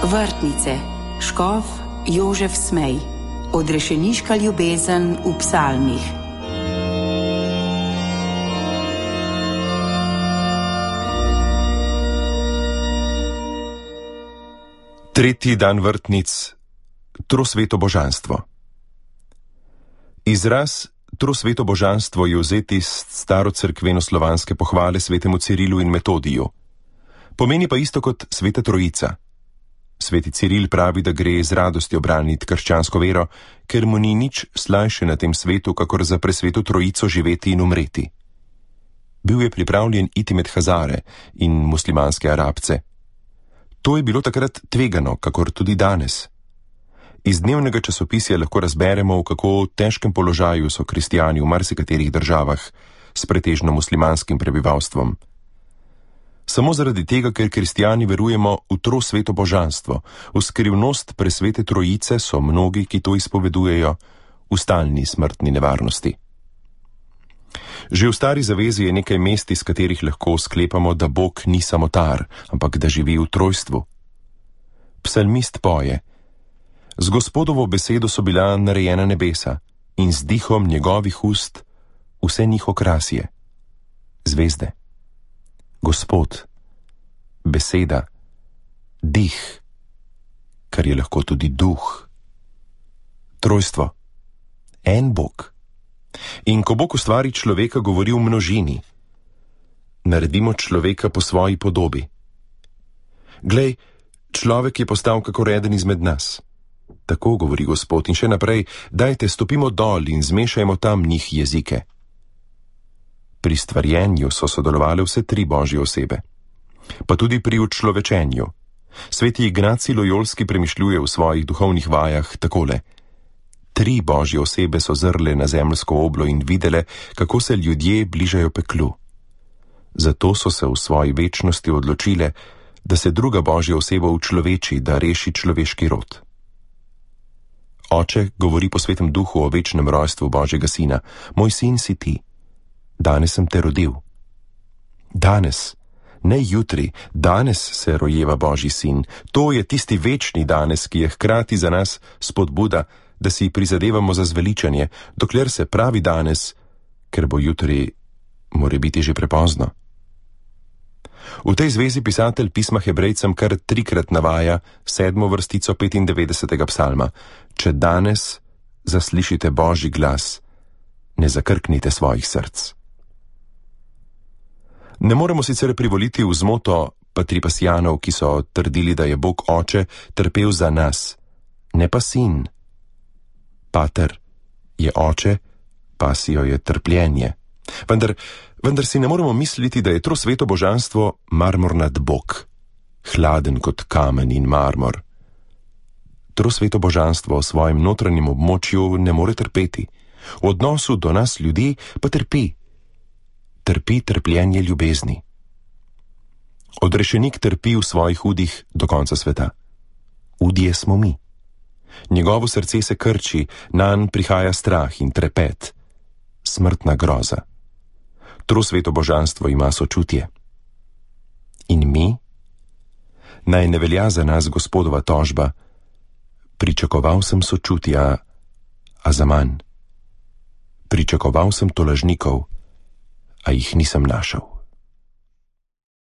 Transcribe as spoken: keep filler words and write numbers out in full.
Vrtnice, škof Jožef Smej, odrešeniška ljubezen v psalmih. Tretji dan vrtnic, trosveto božanstvo. Izraz trosveto božanstvo je vzet iz starocerkveno-slovanske pohvale svetemu Cirilu in Metodiju. Pomeni pa isto kot sveta trojica. Sveti Ciril pravi, da gre z radostjo braniti krščansko vero, ker mu ni nič slajše na tem svetu, kakor za presveto trojico živeti in umreti. Bil je pripravljen iti med Hazare in muslimanske Arabce. To je bilo takrat tvegano, kakor tudi danes. Iz dnevnega časopisja lahko razberemo, v kako težkem položaju so kristijani v marsikaterih državah s pretežno muslimanskim prebivalstvom. Samo zaradi tega, ker kristijani verujemo v trosveto božanstvo, v skrivnost presvete trojice, so mnogi, ki to izpovedujejo, v stalni smrtni nevarnosti. Že v stari zavezi je nekaj mest, iz katerih lahko sklepamo, da Bog ni samotar, ampak da živi v trojstvu. Psalmist poje: Z Gospodovo besedo so bila narejena nebesa in z dihom njegovih ust vse njih okrasje. Zvezde. Gospod, beseda, dih, kar je lahko tudi duh. Trojstvo. En Bog. In ko Bog ustvari človeka, govori v množini. Naredimo človeka po svoji podobi. Glej, človek je postal kakor eden izmed nas. Tako govori Gospod in še naprej: dajte, stopimo dol in zmešajmo tam njih jezike. Pri stvarjenju so sodelovali vse tri božje osebe, pa tudi pri učlovečenju. Sveti Ignacij Lojolski premišljuje v svojih duhovnih vajah takole: tri božje osebe so zrle na zemeljsko oblo in videle, kako se ljudje bližajo peklu. Zato so se v svoji večnosti odločile, da se druga božja oseba učloveči, da reši človeški rod. Oče govori po svetem duhu o večnem rojstvu Božjega sina: moj sin si ti, danes sem te rodil. Danes, ne jutri, danes se rojeva Božji sin. To je tisti večni danes, ki je hkrati za nas spodbuda, da si prizadevamo za zveličanje, dokler se pravi danes, ker bo jutri more biti že prepozno. V tej zvezi pisatelj pisma Hebrejcem kar trikrat navaja sedmo vrstico petindevetdesetega psalma: če danes zaslišite Božji glas, ne zakrknite svojih src. Ne moremo sicer privoliti v zmoto patripasijanov, ki so trdili, da je Bog Oče trpel za nas, ne pa sin. Pater je oče, pasijo je trpljenje. Vendar, vendar si ne moremo misliti, da je trosveto božanstvo marmornat Bog, hladen kot kamen in marmor. Trosveto božanstvo v svojem notranjem območju ne more trpeti, v odnosu do nas ljudi pa trpi. Trpi trpljenje ljubezni. Odrešenik trpi v svojih udih do konca sveta. Udje smo mi. Njegovo srce se krči, nanj prihaja strah in trepet, smrtna groza. Trosveto božanstvo ima sočutje. In mi? Naj ne velja za nas Gospodova tožba: pričakoval sem sočutja, a zaman. Pričakoval sem tolažnikov, a jih nisem našel.